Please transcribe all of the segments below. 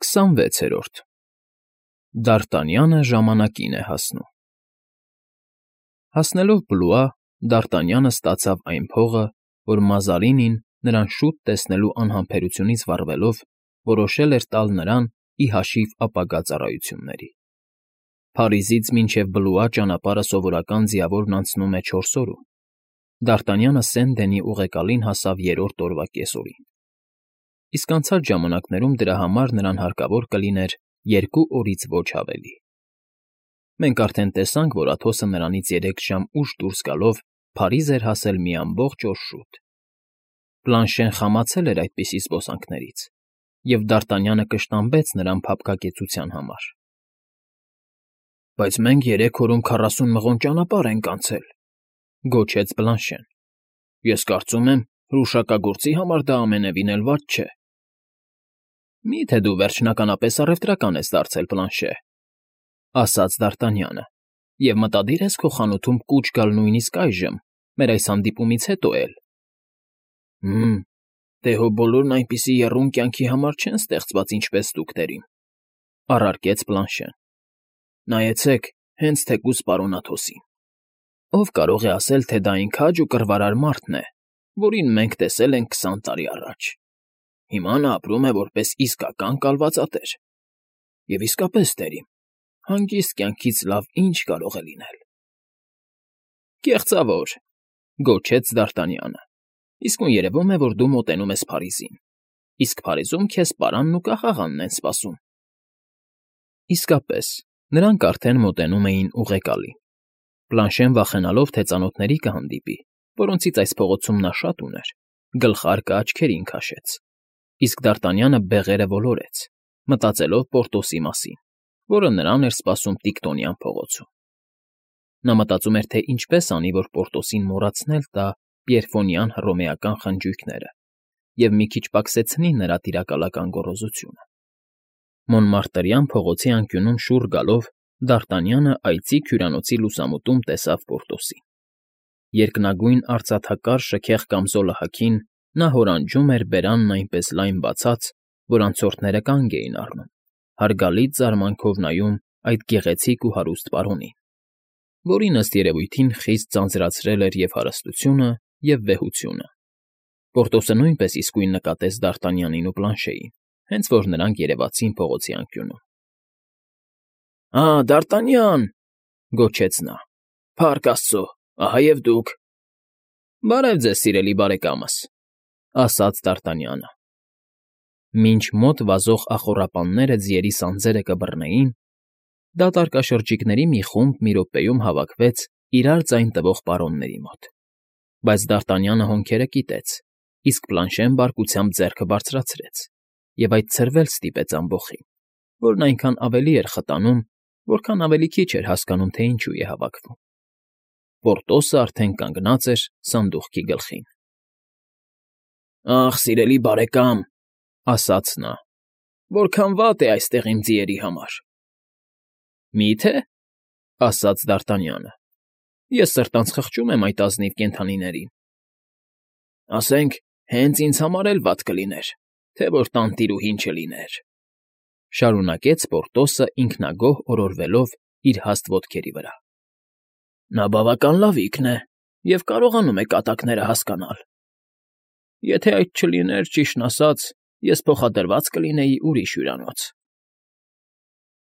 26-րդ Դարտանյանը ժամանակին է հասնում Հասնելով Բլուա, Դարտանյանը ստացավ այն փողը, որ Մազարինին, նրան շուտ տեսնելու անհամբերությունից վառվելով, որոշել էր տալ նրան ի հաշիվ ապագա ծառայությունների։ Փարիզից մինչև Բլուա ճանապարհը սովորական ձիավորն անցնում է 4 օրում։ Դարտանյանը Սեն֊Դենի ուղեկալին հասավ 3-րդ օրվա կեսօրին։ Իսկ անցած ժամանակներում դրա համար նրան հարկավոր կլիներ 2 օրից ոչ ավելի։ Մենք արդեն տեսանք, որ Աթոսը նրանից 3 ժամ ուշ դուրս գալով Փարիզ էր հասել մի ամբողջ օր շուտ։ Պլանշեն խամացել էր այդպիսի զբոսանքներից, և Դարտանյանը կշտամբեց նրան փափկակեցության համար։ Բայց մենք 3 օրում 40 մղոն ճանապարհ ենք անցել, գոչեց Պլանշեն։ Ես կարծում եմ, հրուշակագործի համար դա ամենևին էլ վատ չէ։ Մի՞թե դու վերջնականապես առևտրական ես դարձել, Պլանշե, ասաց Դարտանյանը, և մտադիր ես քո խանութում կուչ գալ նույնիսկ այժմ, մեր այս հանդիպումից հետո էլ։ Դե հո բոլորն այնպիսի եռուն կյանքի համար չեն ստեղծված, ինչպես դուք, տերին, առարկեց Պլանշեն։ Նայեցեք, հենց թեկուզ պարոն Աթոսին։ Ով կարող է ասել, թե դա այն քաջ ու կռվարար մարդն է, որին մենք տեսել ենք 20 տարի առաջ։ Հիմա նա ապրում է որպես իսկական կալվածատեր։ Եվ իսկապես, տերին, հանգիստ կյանքից լավ ինչ կարող է լինել։ Կեղծավոր, գոչեց Դարտանյանը։ Իսկույն երևում է, որ դու մոտենում ես Փարիզին, իսկ Փարիզում քեզ պարանն ու կախաղանն են սպասում։ Իսկապես, նրանք արդեն մոտենում էին ուղեկալին։ Պլանշեն վախենալով, թե ծանոթների կհանդիպի, որոնցից այս փողոցում նա շատ ուներ, գլխարկը աչքերին քաշեց, իսկ Դարտանյանը բեղերը ոլորեց, մտածելով Պորտոսի մասին, որը նրան էր սպասում Տիկտոնյան փողոցում։ Նա մտածում էր, թե ինչպես անի, որ Պորտոսին մոռացնել տա Պիերֆոնյան հռոմեական խնջույքները և մի քիչ պակսեցնի նրա տիրակալական գոռոզությունը։ Մոնմարտրյան փողոցի անկյունում շուռ գալով Դարտանյանը այծի հյուրանոցի լուսամուտում տեսավ Պորտոսին։ Երկնագույն արծաթակար շքեղ կամզոլը հագին նա հորանջում էր բերանն այնպես լայն բացած, որ անցորդները կանգ էին առնում, հարգալից զարմանքով նայում այդ գեղեցիկ ու հարուստ պարոնին, որին ըստ երևույթին խիստ ձանձրացրել էր և հարստությունը, և վեհությունը։ Պորտոսը նույնպես իսկույն նկատեց Դարտանյանին ու Պլանշեին, հենց որ նրանք երևացին փողոցի անկյունում։ Դարտանյան, գոչեց նա, փառք Աստծո, ահա և դուք։ Բարև ձեզ, սիրելի բարեկամս, ասաց Դարտանյանը։ Մինչ մոտ վազող ախոռապանները ձիերի սանձերը կբռնեին, դատարկաշրջիկների մի խումբ մի րոպեում հավաքվեց իրար ձայն տվող պարոնների մոտ, բայց Դարտանյանը հոնքերը կիտեց, իսկ Պլանշեն բարկությամբ ձեռքը բարձրացրեց, և այդ ցրվել ստիպեց ամբոխին, որն այնքան ավելի էր խտանում, որքան ավելի քիչ էր հասկանում, թե ինչու է հավաքվում։ Պորտոսը արդեն կանգնած էր սանդուղքի գլխին։ Ախ, սիրելի բարեկամ, ասաց նա, որքան վատ է այստեղ իմ ձիերի համար։ Մի՞թե, ասաց Դարտանյանը, ես սրտանց խղճում եմ այդ ազնիվ կենդանիներին։ Ասենք, հենց ինձ համար էլ վատ կլիներ, թե որ տանտիրուհին չլիներ, շարունակեց Պորտոսը ինքնագոհ օրորվելով իր հաստ ոտքերի վրա։ Նա բավական լավիկն է և կարողանում է կատակները հասկանալ։ Եթե այդ չլիներ, ճիշտն ասած, ես փոխադրված կլինեի ուրիշ հյուրանոց։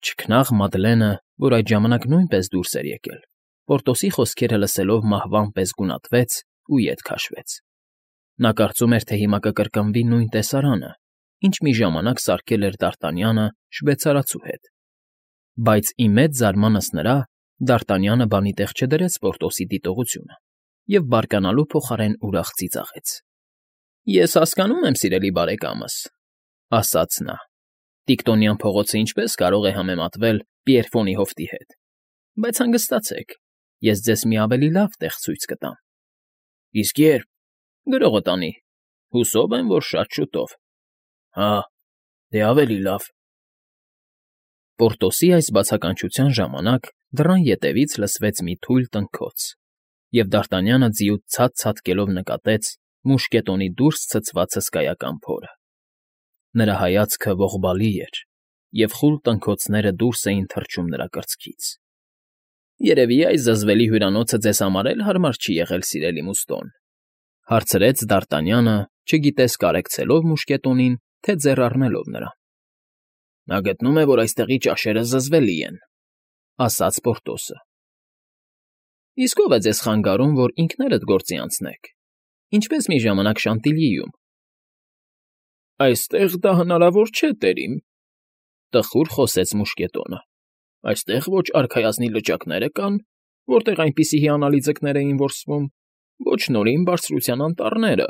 Չքնաղ Մադլենը, որ այդ ժամանակ նույնպես դուրս էր եկել, Պորտոսի խոսքերը լսելով մահվան պես գունատվեց ու ետ քաշվեց։ Նա կարծում էր, թե հիմա կկրկնվի նույն տեսարանը, ինչ մի ժամանակ սարքել էր Դարտանյանը շվեյցարացու հետ։ Բայց ի մեծ զարմանս նրա Դարտանյանը բանի տեղ չդրեց Պորտոսի դիտողությունը և բարկանալու փոխարեն ուրախ ծիծաղեց։ Ես հասկանում եմ, սիրելի բարեկամս, ասաց նա, Տիկտոնյան փողոցը ինչպես կարող է համեմատվել Պիերֆոնի հովտի հետ, բայց հանգստացեք, ես ձեզ մի ավելի լավ տեղ ցույց կտամ։ Իսկ ե՞րբ։ Գրողը տանի։ Հուսով եմ, որ շատ շուտով։ Հա, դե ավելի լավ։ Պորտոսի այս բացականչության ժամանակ դռան ետևից լսվեց մի թույլ տնքոց, և Դարտանյանը ձիուց ցած ցատկելով նկատեց մուշկետոնի դուրս ցցված հսկայական փորը։ Նրա հայացքը ողբալի էր, և խուլ տնքոցները դուրս էին թռչում նրա կրծքից։ Երևի այս զզվելի հյուրանոցը ձեզ համար էլ հարմար չի եղել, սիրելի Մուստոն,֊ հարցրեց Դարտանյանը, չգիտես կարեկցելով մուշկետոնին, թե ձեռ առնելով նրան։ ֊ Նա գտնում է, որ այստեղի ճաշերը զզվելի են,֊ ասաց Պորտոսը։ ֊ Իսկ ո՞վ է ձեզ խանգարում, որ ինքներդ գործի անցնեք, ինչպես մի ժամանակ Շանտիլիում։ ֊ Այստեղ դա հնարավոր չէ, տերիմ,֊ տխուր խոսեց մուշկետոնը։ Այստեղ ոչ արքայազնի լճակները կան, որտեղ այնպիսի հիանալի ձկներ էին որսվում, ոչ նորին բարձրության անտառները,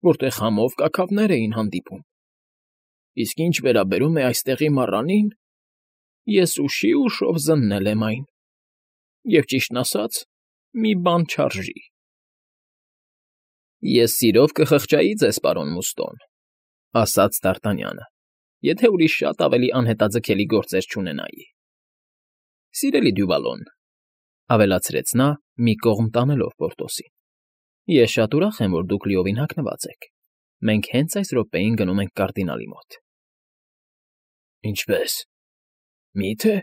որտեղ համով կաքավներ էին հանդիպում։ Իսկ ինչ վերաբերում է այստեղի մառանին, ես ուշով զննել եմ այն, և ճիշտն ասած, մի բան չարժի։ ֊ Ես սիրով կխղճայի ձեզ, պարոն Մուստոն,֊ ասաց Դարտանյանը, եթե ուրիշ շատ ավելի անհետաձգելի գործեր չունենայի։ ֊ Սիրելի Դյուվալոն,֊ ավելացրեց նա, մի կողմ տանելով Պորտոսին,֊ ես շատ ուրախ եմ, որ դուք լիովին հագնված եք։ Մենք հենց այս րոպեին գնում ենք կարդինալի մոտ։ ֊ Ինչպե՞ս, մի՞թե,֊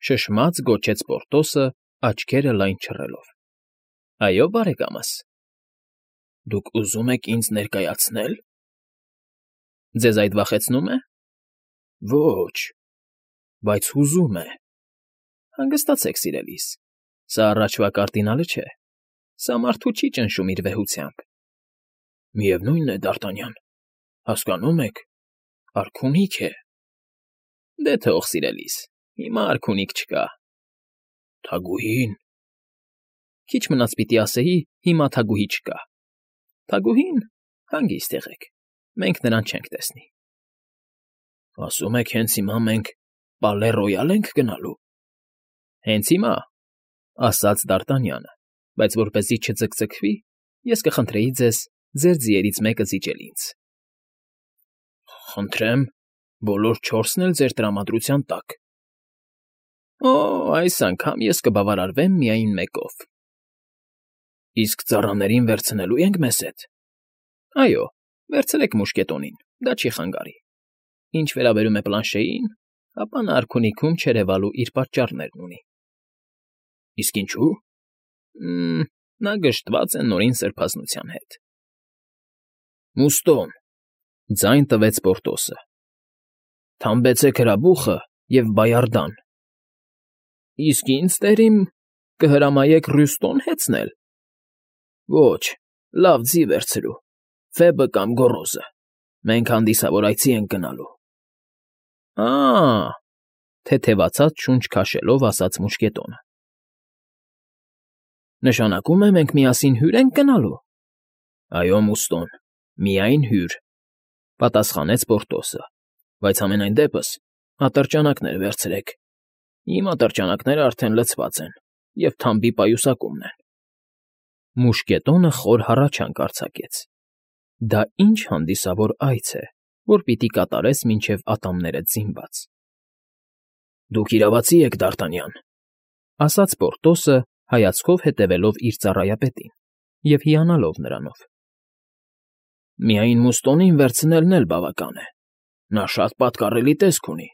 շշմած գոչեց Պորտոսը, աչքերը լայն չռելով։ ֊ Այո, բարեկամս։ ֊ Դուք ուզում եք ինձ ներկայացնե՞լ։ ֊ Ձեզ այդ վախեցնո՞ւմ է։ ֊ Ոչ, բայց հուզում է։ ֊ Հանգստացեք, սիրելիս, սա առաջվա կարդինալը չէ։ Սա մարդու չի ճնշում իր վեհությամբ։ ֊ Միևնույն է, Դարտանյան, հասկանում եք, արքունիկ է։ ֊ Դե թող, սիրելիս, հիմա արքունիկ չկա։ ֊ Թագուհի՞ն։ ֊ Քիչ մնաց պիտի ասեի՝ հիմա թագուհի չկա։ Թագուհին, հանգիստ եղեք, մենք նրան չենք տեսնի։ ֊ Ասում եք հենց հիմա մենք Պալե Ռոյալ ենք գնալու։ ֊ Հենց հիմա,֊ ասաց Դարտանյանը, բայց որպեսզի չձգձգվի, ես կխնդրեի ձեզ ձեր ձիերից մեկը զիջել ինձ։ ֊ Խնդրեմ, բոլոր չորսն էլ ձեր տրամադրության տակ։ ֊ Օ, այս անգամ ես կբավարարվեմ միայն մեկով։ ֊ Իսկ ծառաներին վերցնելու ենք մեզ հետ։ ֊ Այո, վերցրեք մուշկետոնին, դա չի խանգարի։ Ինչ վերաբերում է Պլանշեին, ապա նա արքունիքում չերևալու իր պատճառներն ունի։ ֊ Իսկ ինչու՞։ ֊ Նա գժտված է նորին սրբազնության հետ։ ֊ Մուստոն,֊ ձայն տվեց Պորտոսը,֊ թամբեցեք հրաբուխը և բայարդան։ ֊ Իսկ ինձ, տերիմ, կհրամայեք Ռյուստոն հեծնել։ ֊ Ոչ, լավ ձի վերցրու, Ֆեբը կամ Գոռոզը, մենք հանդիսավոր այցի ենք գնալու։ ֊ Ա՜,֊ թեթևացած շունչ քաշելով ասաց մուշկետոնը։ ֊ Նշանակում է մենք միասին հյուր ենք գնալու։ ֊ Այո, Մուստոն, միայն հյուր,֊ պատասխանեց Պորտոսը,֊ բայց համենայն դեպս ատրճանակներ վերցրեք։ Իմ ատրճանակները արդեն լցված են և թամբի պայուսակումն են։ Մուշկետոնը խոր հառաչանք արձակեց. դա ինչ հանդիսավոր այց է, որ պիտի կատարես մինչև ատամներդ զինված։ ֊ Դուք իրավացի եք, Դարտանյան,֊ ասաց Պորտոսը, հայացքով հետևելով իր ծառայապետին և հիանալով նրանով։ ֊ Միայն Մուստոնին վերցնելն էլ բավական է։ Նա շատ պատկառելի տեսք ունի։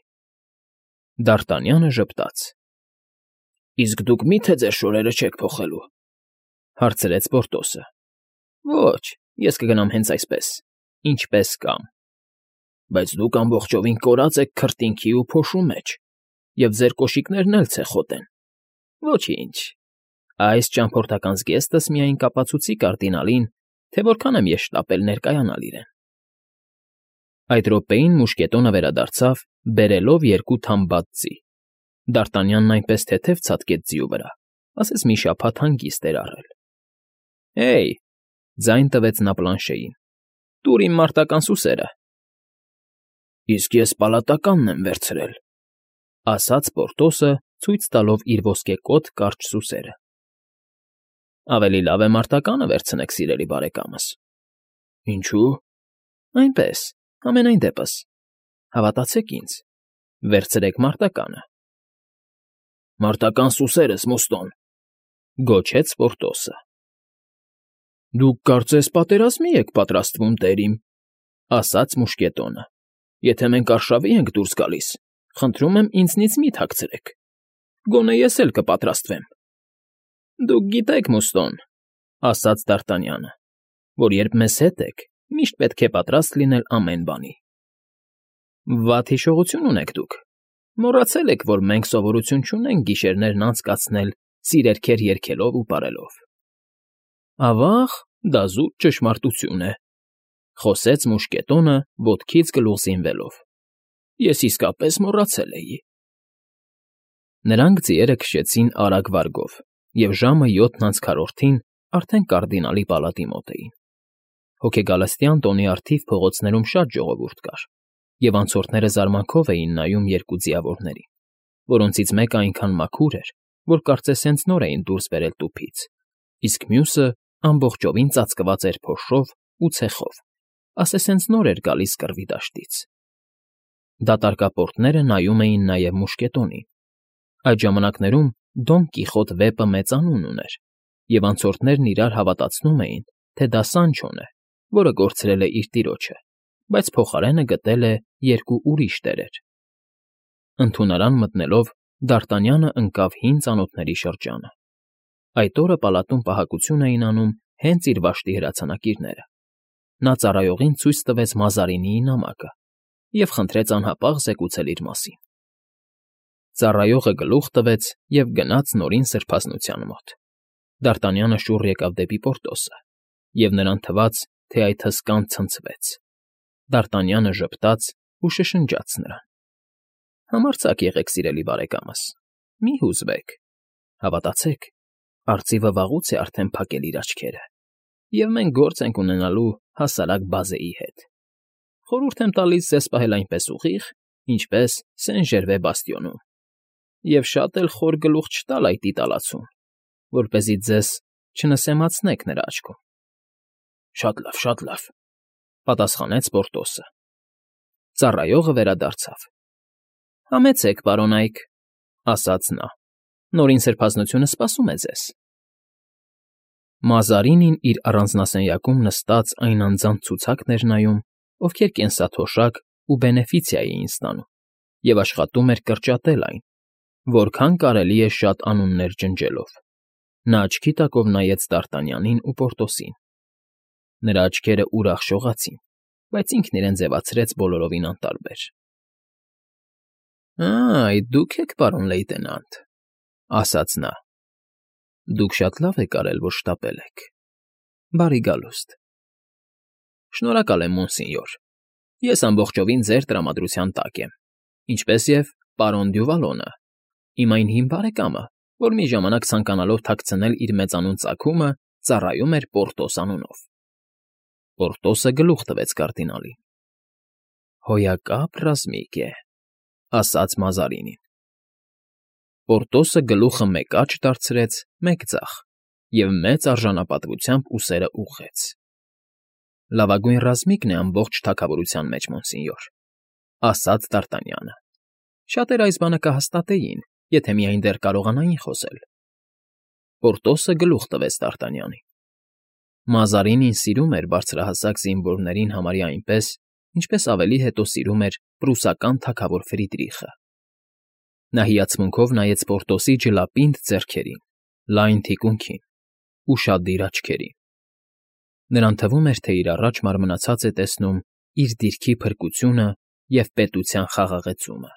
Դարտանյանը ժպտաց։ ֊ Իսկ դուք մի՞թե ձեր շորերը չեք փոխելու,֊ հարցրեց Պորտոսը։ ֊ Ոչ, ես կգնամ հենց այսպես, ինչպես կամ։ ֊ Բայց դուք ամբողջովին կորած եք քրտինքի ու փոշու մեջ, և ձեր կոշիկներն էլ ցեխոտ են։ ֊ Ոչինչ, այս ճամփորդական զգեստս միայն կապացուցի կարդինալին, թե որքան եմ ես շտապել ներկայանալ իրեն։ Այդ րոպեին մուշկետոնը վերադարձավ, բերելով 2 թամբած ձի։ Դարտանյանն այնպես թեթև ցատկեց ձիու վրա, ասես մի շաբաթ հանգիստ էր առել։ ֊ Հեյ,֊ ձայն տվեց նա Պլանշեին,֊ տուր իմ մարտական սուսերը։ ֊ Իսկ ես պալատականն եմ վերցրել,֊ ասաց Պորտոսը, ցույց տալով իր ոսկեկոտ կարճ սուսերը։ ֊ Ավելի լավ է մարտականը վերցնեք, սիրելի բարեկամս։ ֊ Ինչու՞։ ֊ Այնպես, համենայն դեպս, հավատացեք ինձ, վերցրեք մարտականը։ ֊ Մարտական սուսերս, Մուստոն,֊ գոչեց Պորտոսը։ ֊ Դուք կարծես պատերազմի եք պատրաստվում, տերիմ,֊ ասաց մուշկետոնը։ ֊ Եթե մենք արշավի ենք դուրս գալիս, Խնդրում եմ ինձնից մի թաքցրեք։ Գոնե ես էլ կպատրաստվեմ։ Դուք գիտեք, Մուստոն, ասաց Դ'Արտանյանը, որ երբ մեզ հետ եք, միշտ պետք է պատրաստ լինել ամեն բանի։ Վատ հիշողություն ունեք դուք։ Մոռացել եք, որ մենք սովորություն չունենք գիշերներն անցկացնել սիրերքեր երգելով ու պարելով։ Ավաղ, դա զուտ ճշմարտություն է, խոսեց մուշկետոնը ոտքից գլուխ զինվելով։ Ես իսկապես մոռացել էի։ Նրանք ձիերը քշեցին արագ վարգով, և ժամը 7:40-ին արդեն կարդինալի պալատի մոտ էին։ Հոգեգալստյան տոնի առթիվ փողոցներում շատ ժողովուրդ կար, և անցորդները զարմանքով էին նայում երկու ձիավորներին, որոնցից մեկը այնքան մաքուր էր, որ կարծես հենց նոր էին դուրս բերել տուփից, իսկ մյուսը ամբողջովին ծածկված էր փոշով ու ցեխով, ասես հենց նոր էր գալիս կռվի դաշտից։ Դատարկապորտները նայում էին նաև մուշկետոնին։ Այդ ժամանակներում Դոն Կիխոտ վեպը մեծ անուն ուներ, և անցորդներն իրար հավատացնում էին, թե դա Սանչոն է, որը կորցրել է իր տիրոջը, բայց փոխարենը գտել է երկու ուրիշ տերեր։ Ընդունարան մտնելով Դ'Արտանյանը ընկավ հին ծանոթների շրջանը։ Այդ օրը պալատում պահակություն էին անում հենց իր վաշտի հրացանակիրները։ Նա ծառայողին ցույց տվեց Մազարինիի նամակը և խնդրեց անհապաղ զեկուցել իր մասին։ Ծառայողը գլուխ տվեց և գնաց նորին սրբազնության մոտ։ Դ'Արտանյանը շուռ եկավ դեպի Պորտոսը, և նրան թվաց, թե այդ հսկան ցնցվեց։ Դ'Արտանյանը ժպտաց ու շշնջաց նրան. Համարձակ եղեք, սիրելի բարեկամս, մի հուզվեք, հավատացեք, արծիվը վաղուց է արդեն փակել իր աչքերը, և մենք գործ ենք ունենալու հասարակ բազեի հետ։ Խորհուրդ եմ տալիս ձեզ պահել այնպես ուղիղ, ինչպես Սեն֊Ժերվե բաստիոնում, և շատ էլ խոր գլուխ չտալ այդ իտալացուն, որպեսզի ձեզ չնսեմացնեք նրա աչքում։ Շատ լավ, պատասխանեց Պորտոսը։ Ծառայողը վերադարձավ։ Համեցեք, պարոն Այք, ասաց նա, նորին սրբազնությունը սպասում է ձեզ։ Մազարինին իր առանձնասենյակում նստած այն անձանց ցուցակն էր նայում, ովքեր կենսաթոշակ ու բենեֆիցիա էին ստանում, և աշխատում էր կրճատել այն, որքան կարելի է շատ անուններ ջնջելով։ Նա աչքի տակով նայեց Դ'Արտանյանին ու Պորտոսին։ Նրա աչքերը ուրախ շողացին, բայց ինքն իրեն ձևացրեց բոլորովին անտարբեր։ Այդ դուք եք, պարոն լեյտենանտ, ասաց նա։ Դուք շատ լավ եք արել, որ շտապել եք։ Բարի գալուստ։ Շնորհակալ եմ, մոնսինյոր։ Ես ամբողջովին ձեր տրամադրության տակ եմ, ինչպես և պարոն Դյուվալոնը, իմ այն հին բարեկամը, որ մի ժամանակ ցանկանալով թաքցնել իր մեծանուն ծագումը, ծառայում էր Պորտոս անունով։ Պորտոսը գլուխ տվեց կարդինալին։ Հոյակապ ռազմիկ է, ասաց Մազարինին։ Պորտոսը գլուխը մեկ աջ դարձրեց, մեկ ձախ, և մեծ արժանապատվությամբ ուսերը ուղղեց։ Լավագույն ռազմիկն է ամբողջ թագավորության մեջ, մոնսինյոր, ասաց Դ'Արտանյանը։ Շատերը այս բանը կհաստատեին, եթե միայն դեռ կարողանային խոսել։ Պորտոսը գլուխ տվեց Դ'Արտանյանին։ Մազարինին սիրում էր բարձրահասակ զինվորներին համարյա այնպես, ինչպես ավելի հետո սիրում էր պրուսական թագավոր Ֆրիդրիխը։ Նա հիացմունքով նայեց Պորտոսի ջլապինդ ձեռքերին, լայն թիկունքին, ուշադիր աչքերին։ Նրան թվում էր, թե իր առաջ մարմնացած է տեսնում իր դիրքի փրկությունը և պետության խաղաղեցումը։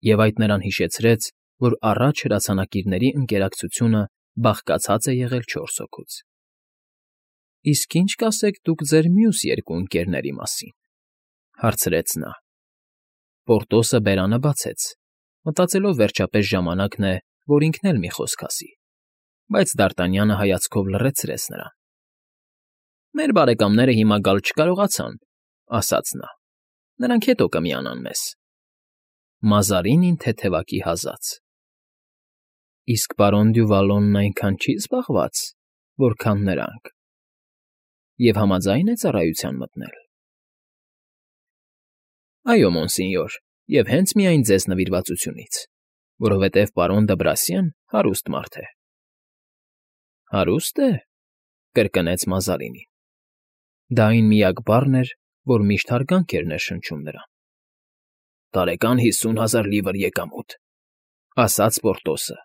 Եվ այդ նրան հիշեցրեց, որ առաջ հրացանակիրների ընկերակցությունը բաղկացած է եղել 4 հոգուց։ Իսկ ի՞նչ կասեք դուք ձեր մյուս երկու ընկերների մասին, հարցրեց նա։ Պորտոսը բերանը բացեց, մտածելով վերջապես ժամանակն է, որ ինքն էլ մի խոսք ասի, բայց Դ'Արտանյանը հայացքով լռեցրեց նրան։ Մեր բարեկամները հիմա գալ չկարողացան, ասաց նա։ Նրանք հետո կմիանան մեզ։ Մազարինին թեթևակի հազաց։ Իսկ պարոն Դյուվալոնն այնքան չի զբաղված, որքան նրանք։ Եվ համաձայն է ծառայության մտնել։ Այո, մոնսինյոր, և հենց միայն ձեզ նվիրվածությունից, որովհետև պարոն Դ'Բրասիան հարուստ մարդ է։ Հարուստ է, կրկնեց Մազարինին։ Դա այն միակ բառն էր, որ միշտ հարգանք էր ներշնչում նրան։ տարեկան 50,000 լիվր եկամուտ, ասաց Պորտոսը։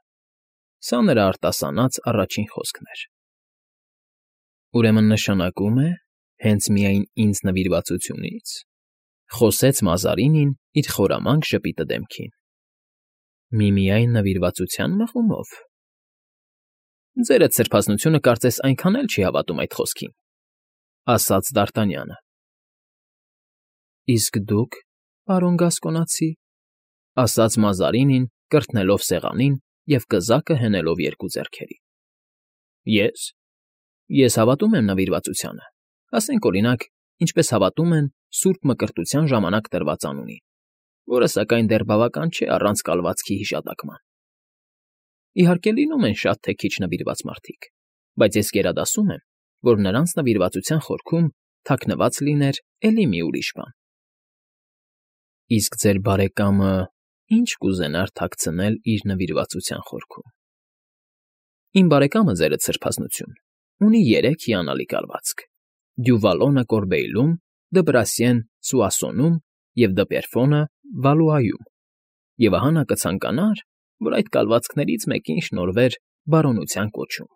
Սա նրա արտասանած առաջին խոսքն էր։ Ուրեմն նշանակում է, հենց միայն ինձ նվիրվածությունից, խոսեց Մազարինին իր խորամանկ ժպիտը դեմքին։ Միմիայն նվիրվածության մղումով։ Ձերդ սրբազնությունը կարծես այնքան էլ չի հավատում այդ խոսքին, ասաց Դ'Արտանյանը։ Իսկ դուք, պարոն Գասկոնացի, ասաց Մազարինին, կրթնելով սեղանին և կզակը հենելով երկու ձեռքերի։ Ես հավատում եմ նվիրվածությանը, ասենք օրինակ, ինչպես հավատում են Սուրբ Մկրտության ժամանակ տրված անունին, որը սակայն դեռ բավական չէ առանց կալվածքի հիշատակման։ Իհարկե լինում են շատ թե քիչ նվիրված մարդիկ, բայց ես գերադասում եմ, որ նրանց նվիրվածության խորքում թաքնված լիներ էլի մի ուրիշ բան։ Իսկ ձեր բարեկամը ի՞նչ կուզենար թաքցնել իր նվիրվածության խորքում։ Իմ բարեկամը, ձերդ սրբազնություն, ունի 3 հիանալի կալվածք. Դյուվալոնը Կորբեյլում, Դբրասիեն Սուասոնում և Դպերֆոնը Վալուայում, և ահա նա կցանկանար, որ այդ կալվածքներից մեկին շնորհվեր բարոնության կոչում։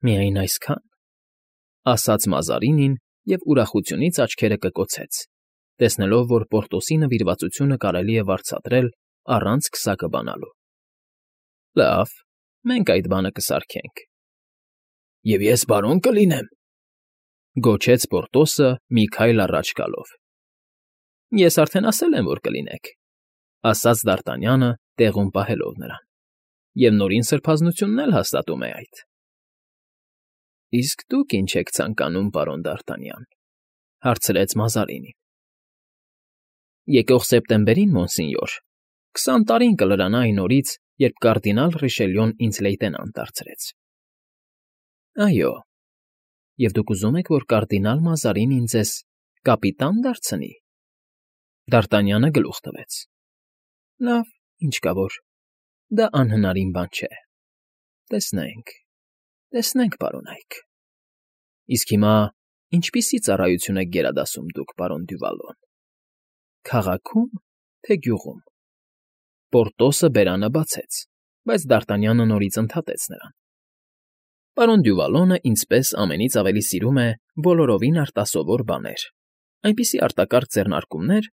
Միայն այսքան, ասաց Մազարինին և ուրախությունից աչքերը կկոցեց, տեսնելով, որ Պորտոսի նվիրվածությունը կարելի է վարձատրել առանց քսակը բանալու։ Լավ, մենք այդ բանը կսարքենք։ Եվ ես բարոն կլինեմ, գոչեց Պորտոսը մի քայլ առաջ գալով։ Ես արդեն ասել եմ, որ կլինեք, ասաց Դ'Արտանյանը, տեղում պահելով նրան, և նորին սրբազնությունն էլ հաստատում է այդ։ Իսկ դուք ինչ եք ցանկանում, պարոն Դ'Արտանյան, հարցրեց Մազարինին։ Եկող սեպտեմբերին, մոնսինյոր, 20 տարին կլրանա այն օրից, երբ կարդինալ Ռիշելյոն ինձ լեյտենանտ դարձրեց։ Այո, և դուք ուզում եք, որ կարդինալ Մազարինին ձեզ կապիտան դարձնի։ Դ'Արտանյանը գլուխ տվեց։ Լավ, ինչ կա որ, դա անհնարին բան չէ։ Տեսնենք, պարոնայք։ Իսկ հիմա ինչպիսի ծառայություն եք գերադասում դուք, պարոն Դյուվալոն։ Քաղաքի՞ում, թե գյուղում։ Պորտոսը բերանը բացեց, բայց Դ'Արտանյանը նորից ընդհատեց նրան։ Պարոն Դյուվալոնը ինձպես ամենից ավելի սիրում է բոլորովին արտասովոր բաներ, այնպիսի արտակարգ ձեռնարկումներ,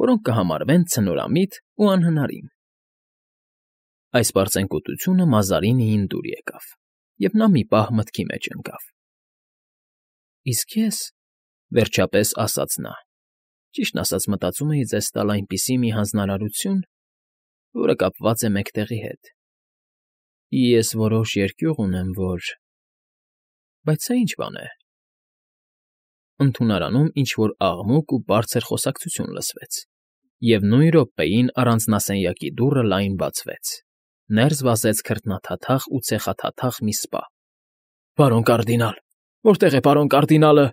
որոնք կհամարվեն ցնորամիտ ու անհնարին։ Այս պարծենկոտությունը Մազարինիին դուր եկավ, և նա մի պահ մտքի մեջ ընկավ։ Իսկ ես, վերջապես ասաց նա, ճիշտն ասած մտածում էի ձեզ տալ այնպիսի մի հանձնարարություն, որը կապված է մեկտեղի հետ։ Ես որոշ երկյուղ ունեմ, որ… Բայց սա ինչ բան է։ Ընդունարանում ինչ֊որ աղմուկ ու բարձր խոսակցություն լսվեց, և նույն րոպեին առանձնասենյակի դուռը լայն բացվեց, ներս վազեց քրտնաթաթախ ու ցեխաթաթախ մի սպա։ Պարոն կարդինալ, որտե՞ղ է պարոն կարդինալը,֊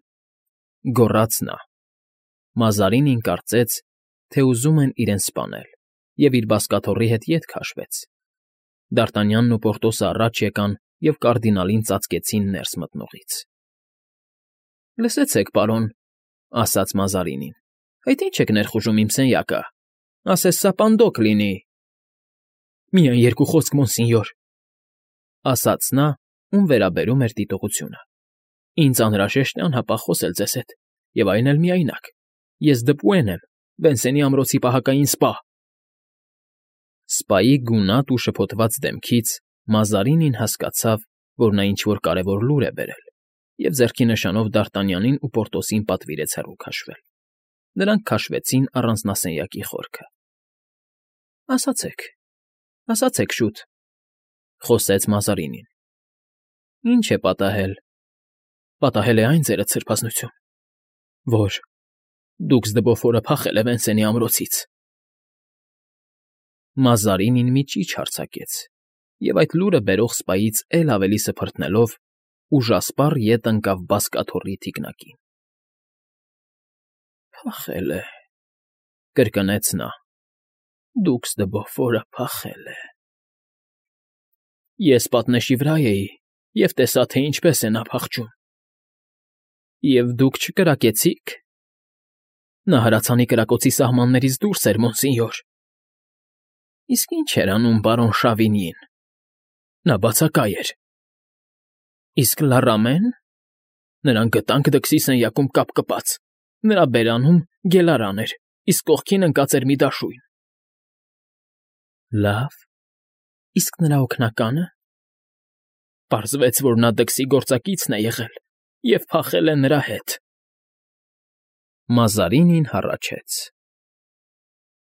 գոռաց նա։ Մազարինին կարծեց, թե ուզում են իրեն սպանել, և իր բազկաթոռի հետ ետ քաշվեց։ Դ'Արտանյանն ու Պորտոսը առաջ եկան և կարդինալին ծածկեցին ներս մտնողից։ Լսեցեք, պարոն, ասաց Մազարինին, այդ ի՞նչ եք ներխուժում իմ սենյակը, ասես սա պանդոկ լինի։ Միայն 2 խոսք, մոնսինյոր, ասաց նա, ում վերաբերում էր դիտողությունը։ Ինձ անհրաժեշտ է անհապաղ խոսել ձեզ հետ, և այն էլ միայնակ։ Ես Դպուեն եմ, Վենսենի ամրոցի պահակային սպա։ Սպայի գունատ ու շփոթված դեմքից Մազարինին հասկացավ, որ նա ինչ֊որ կարևոր լուր է բերել, և ձեռքի նշանով Դ'Արտանյանին ու Պորտոսին պատվիրեց հեռու քաշվել։ Նրանք քաշվեցին առանձնասենյակի խորքը։ Ասացեք շուտ, խոսեց Մազարինին։ Ինչ է պատահել։ Պատահել է այն, ձերդ սրբազնություն, որ դուքս Դբոֆորը փախել է Վենսենի ամրոցից։ Մազարինին մի ճիչ արձակեց, և այդ լուրը բերող սպայից էլ ավելի սփռտնելով, ուժասպառ ետ ընկավ բազկաթոռի թիկնակին։ Փախել է, կրկնեց նա, դուքս Դբոֆորը փախել է։ Ես պատնեշի վրա էի և տեսա, թե ինչպես է նա փախչում։ Եվ դուք չկրակեցի՞ք։ Նա հրացանի կրակոցի սահմաններից դուրս էր, մոնսինյոր։ Իսկ ինչ էր անում պարոն Շավինիին։ Նա բացակայ էր։ Իսկ Լարամեն։ Նրան գտանք դքսի սենյակում կապ կպած։ Նրա բերանում գելարան էր, իսկ կողքին ընկած էր մի դաշույն։ Լավ, իսկ նրա օգնակա՞նը։ Պարզվեց, որ նա դքսի գործակիցն է եղել և փախել է նրա հետ։ Մազարինին հառաչեց։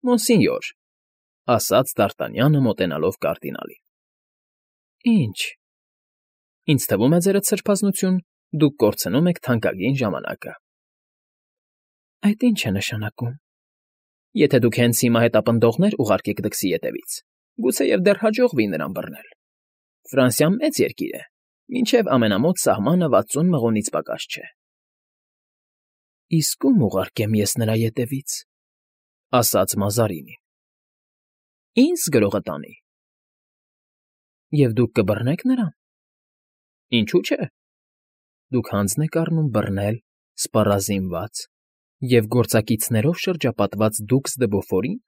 Մոնսինյոր, ասաց Դ'Արտանյանը մոտենալով կարդինալին։ Ինչ։ Ինձ թվում է ձերդ սրբազնություն, դուք կորցնում եք թանկագին ժամանակը։ Այդ ինչ է նշանակում։ Եթե դուք հենց հիմա հետապնդողներ ուղարկեք դքսի ետևից, գուցեև դեռ հաջողվի նրան բռնել։ Ֆրանսիան մեծ երկիր է, մինչև ամենամոտ սահմանը 60 մղոնից պակաս չէ։ Իսկ ում ուղարկեմ ես նրա ետևից, ասաց Մազարինին։ Ինձ գրողը տանի։ Եվ դուք կբռնեք նրան։ Ինչու՞ չէ։ Դուք հանձն եք առնում բռնել սպառազինված և գործակիցներով շրջապատված դուքս դե Բոֆորին։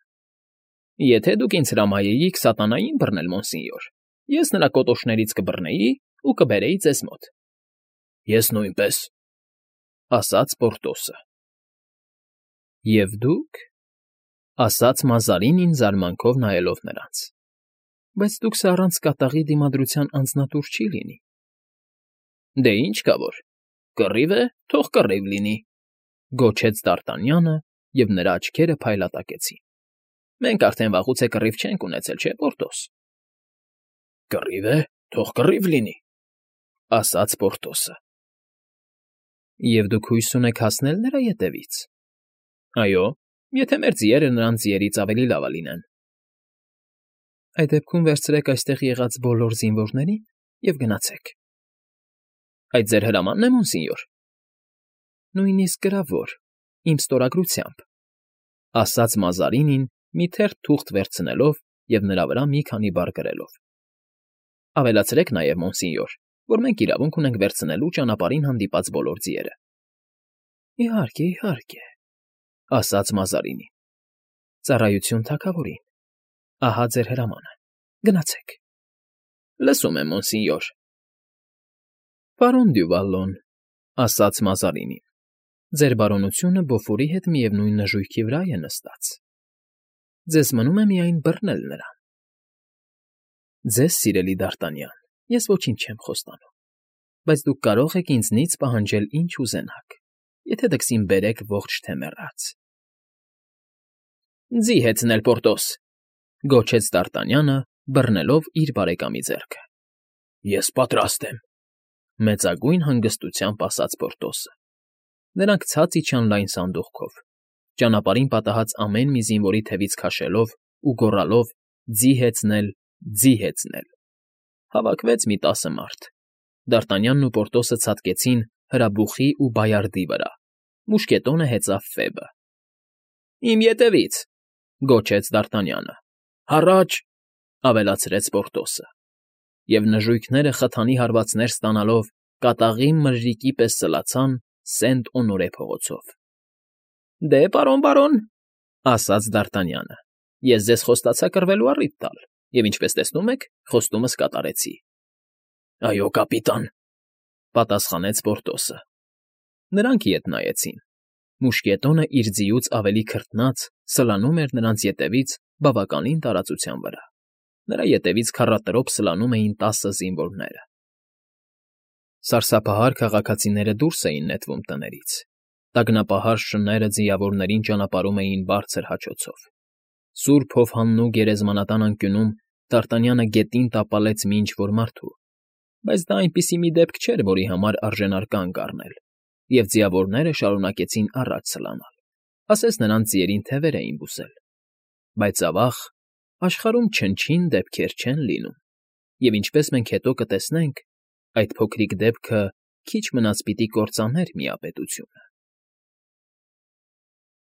Եթե դուք ինձ հրամայեիք սատանային բռնել, մոնսինյոր, ես նրա կոտոշներից կբռնեի ու կբերեի ձեզ մոտ։ Ես նույնպես, ասաց Պորտոսը։ Եվ դուք, ասաց Մազարինին զարմանքով նայելով նրանց։ Բայց դուքս առանց կատաղի դիմադրության անձնատուր չի լինի։ Դե ինչ կա որ, կռիվ է, թող կռիվ լինի, գոչեց Դ'Արտանյանը, և նրա աչքերը փայլատակեցին։ Մենք արդեն վաղուց է կռիվ չենք ունեցել, չէ՞, Պորտոս։ Կռիվ է, թող կռիվ լինի, ասաց Պորտոսը։ Եվ դուք հույս ունեք հասնել նրա ետևից։ Այո, եթե մեր ձիերը նրան ձիերից ավելի լավը լինեն։ Այդ դեպքում վերցրեք այստեղ եղած բոլոր զինվորներին և գնացեք։ Այդ ձեր հրամանն է, մոնսինյոր։ Նույնիսկ գրավոր, իմ ստորագրությամբ, ասաց Մազարինին մի թերթ թուղթ վերցնելով և նրա վրա մի քանի բառ գրելով։ Ավելացրեք նաև, մոնսինյոր, որ մենք իրավունք ունենք վերցնելու ճանապարհին հանդիպած բոլոր ձիերը։ Իհարկե, իհարկե, ասաց Մազարինին։ Ծառայություն թագավորին։ Ահա ձեր հրամանը։ Գնացեք։ Լսում եմ, մոնսինյոր։ Պարոն Դյուվալոն, ասաց Մազարինին, ձեր բարոնությունը Բոֆորի հետ միևնույն նժույգի վրա է նստած։ Ձեզ մնում է միայն բռնել նրան։ Ձեզ, սիրելի Դ'Արտանյան, ես ոչինչ չեմ խոստանում, բայց դուք կարող եք ինձնից պահանջել ինչ ուզենաք, եթե դքսին բերեք ողջ թե մեռած։ Ձի հեծնել, Պորտոս, գոչեց Դ'Արտանյանը, բռնելով իր բարեկամի ձեռքը։ Ես պատրաստ եմ, մեծագույն հանգստությամբ ասաց Պորտոսը։ Նրանք ցած իջան լայն սանդուղքով, ճանապարհին պատահած ամեն մի զինվորի թևից քաշելով ու գոռալով ձի հեծնել, ձի հեծնել։ Հավաքվեց մի 10 մարդ։ Դ'Արտանյանն ու Պորտոսը ցատկեցին հրաբուխի ու բայարդի վրա։ Մուշկետոնը հեծավ Ֆեբը։ Իմ ետևից, գոչեց Դ'Արտանյանը։ Հառաչ, ավելացրեց Պորտոսը։ Եվ նժույգները խթանի հարվածներ ստանալով կատաղի մրրիկի պես սլացան Սենտ֊Օնորե փողոցով։ Դե, պարոն, ասաց Դ'Արտանյանը, ես ձեզ խոստացա կռվելու առիթ տալ, և ինչպես տեսնում եք, խոստումս կատարեցի։ Այո, կապիտան, պատասխանեց Պորտոսը։ Նրանք ետ նայեցին։ Մուշկետոնը իր ձիուց ավելի քրտնած սլանում էր նրանց ետևից բավականին տարածության վրա։ Նրա ետևից քառատրոփ սլանում էին 10 զինվորները։ Սարսափահար քաղաքացիները դուրս էին նետվում տներից։ Տագնապահար շները ձիավորներին ճանապարհում էին բարձր հաչոցով։ Սուրբ հովհաննու գերեզմանատան անկյունում Դ'Արտանյանը գետին տապալեց մի ինչ֊որ մարդու, բայց դա այնպիսի մի դեպք չէր, որի համար արժենար կանգ առնել, և ձիավորները շարունակեցին առաջ սլանալ, ասես նրանց ձիերին թևեր էին բուսել։ Բայց ավաղ, աշխարհում չնչին դեպքեր չեն լինում, և ինչպես մենք հետո կտեսնենք, այդ փոքրիկ դեպքը քիչ մնաց պիտի կործաներ միապետությունը։